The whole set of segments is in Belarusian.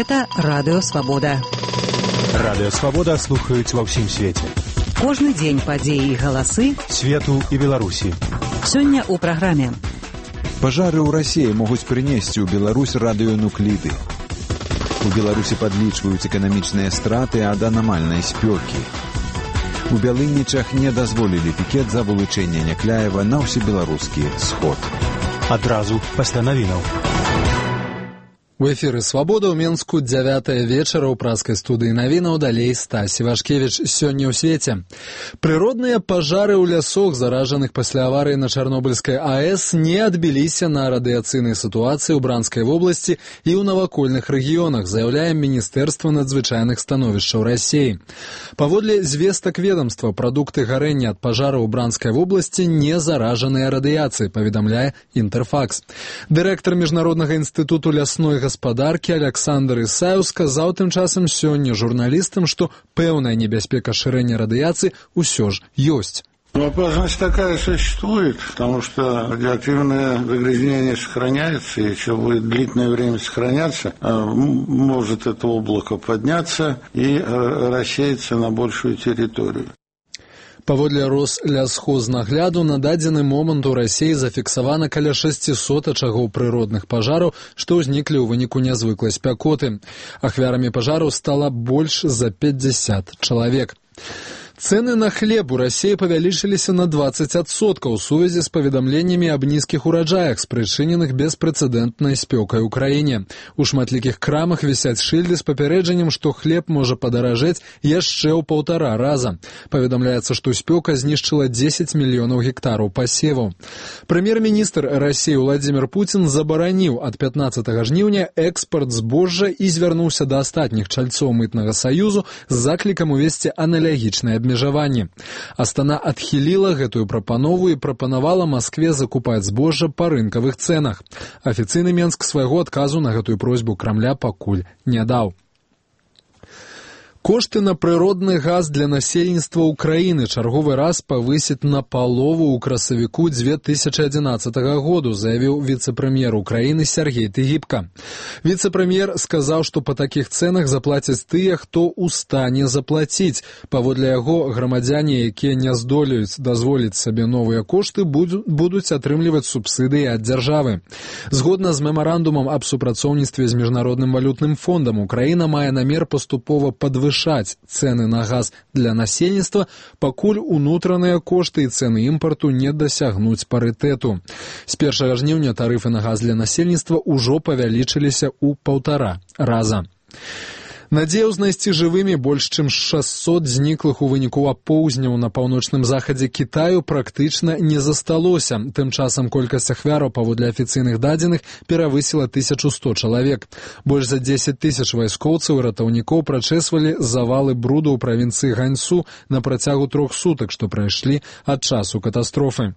Гэта Радыё Свабода. Радыё Свабода слухаюць ва ўсім свеце. Кожны дзень падзеі і галасы свету і Беларусі. Сёння ў праграме. Пажары ў Расіі могуць прынесці ў Беларусь радыёнукліды. У Беларусі падлічваюць эканамічныя страты ад анамальнай спёкі. У Бялынічах не дазволілі пікет за вылучэнне Някляева на ўсебеларускі сход. Адразу пасля навінаў. У эфіры «Свабода» ў Менску 9 вечара ў праскай студыі навінаў, далей Стась Івашкевіч. Сёння ў свеце. Прыродныя пажары ў лясах, заражаных пасля аварыі на Чарнобыльскай АЭС, не адбіліся на радыяцыйнай сітуацыі ў Бранскай вобласці і ў навакольных рэгіёнах, заяўляе Міністэрства надзвычайных становішчаў Расіі. Паводле звестак ведамства, прадукты гарэння ад пажараў у Бранскай вобласці не заражаныя радыяцыяй, паведамляе Інтэрфакс. Дырэктар Міжнароднага інстытуту лясной гаспадаркі Александр Ісаеў сказаў тым часам сёння журналістам, што пэўная небяспека шырэння радыяцыі ўсё ж ёсць. Опасность такая существует, потому что радиоактивное загрязнение сохраняется, и еще будет длительное время сохраняться, может это облако подняться и рассеяться на большую территорию. Паводле Рослясхознагляду на дадзены момант у Расіі зафіксавана каля 600 ачагоў прыродных пажараў, што ўзніклі ў выніку нязвыклай спякоты. Ахвярамі пажараў стала больш за 50 чалавек. Цэны на хлеб у Расіі павялічыліся на 20% у сувязі з паведамленнямі аб нізкіх ураджаях, спрычыненых беспрэцэдэнтнай спёкай у краіне. У шматлікіх крамах вісяць шыльды з папярэджаннем, што хлеб можа падаражэць яшчэ ў 1,5 раза. Паведамляецца, што спёка знішчыла 10 мільёнаў гектараў пасеваў. Прэм'ер-міністр Расіі Владзімір Пуцін забараніў ад 15 жніўня экспарт збожжа і звярнуўся да астатніх чальцоў мытнага саюзу з заклікам увесці аналагічнае абмежаванне. Астана адхіліла гэтую прапанову і прапанавала Маскве закупаць збожжа па рынкавых цэнах. Афіцыйны Менск свайго адказу на гэтую просьбу Крамля пакуль не даў. Кошты на прыродны газ для насельніцтва ўкраіны чарговы раз павысяць на палову ў красавіку 2011 году, заявіў віцэ-прэм'ер Украіны Сергей Тыгіпка. Віцэ-прэм'ер сказаў, што па такіх цэнах заплацяць тыя, хто ў стане заплаціць. Паводле яго, грамадзяне, якія не здолеюць дазволіць сабе новыя кошты, будуць атрымліваць субсідыі ад дзяржавы. Згодна з мемарандумам аб супрацоўніцтве з Міжнародным валютным фондам, Украіна мае намер паступова падвышаць цэны на газ для насельніцтва, пакуль унутраныя кошты і цэны імпарту не дасягнуць парытэту. З 1 жніўня тарыфы на газ для насельніцтва ўжо павялічыліся ў 1,5 раза. Надзею знайсці жывымі больш чым 600 зніклых у выніку апоўзняў на паўночным захадзе Кітаю практычна не засталося. Тым часам колькасць ахвяраў паводле афіцыйных дадзеных перавысіла 1100 чалавек. Больш за 10 000 вайскоўцаў і ратаўнікоў прачэсвалі завалы бруду ў правінцыі Ганьсу на працягу 3 сутак, што прайшлі ад часу катастрофы.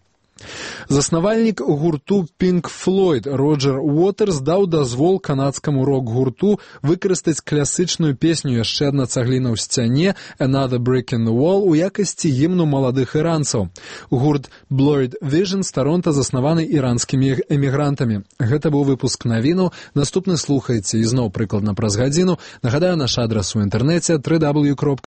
Заснавальнік гурту Pink Floyd Роджер Уотерс даў дазвол канадскаму рок-гурту выкарыстаць класычную песню «Яшчэ адна цагліна ў сцяне» «Another Brick in the Wall» у якасці гімну маладых іранцаў. Гурт Blurred Vision з Таронта заснаваны іранскімі эмігрантамі. Гэта быў выпуск навінаў. Наступны слухайце ізноў прыкладна праз гадзіну. Нагадаю, наш адрас у інтэрнэце www.svobodka.org.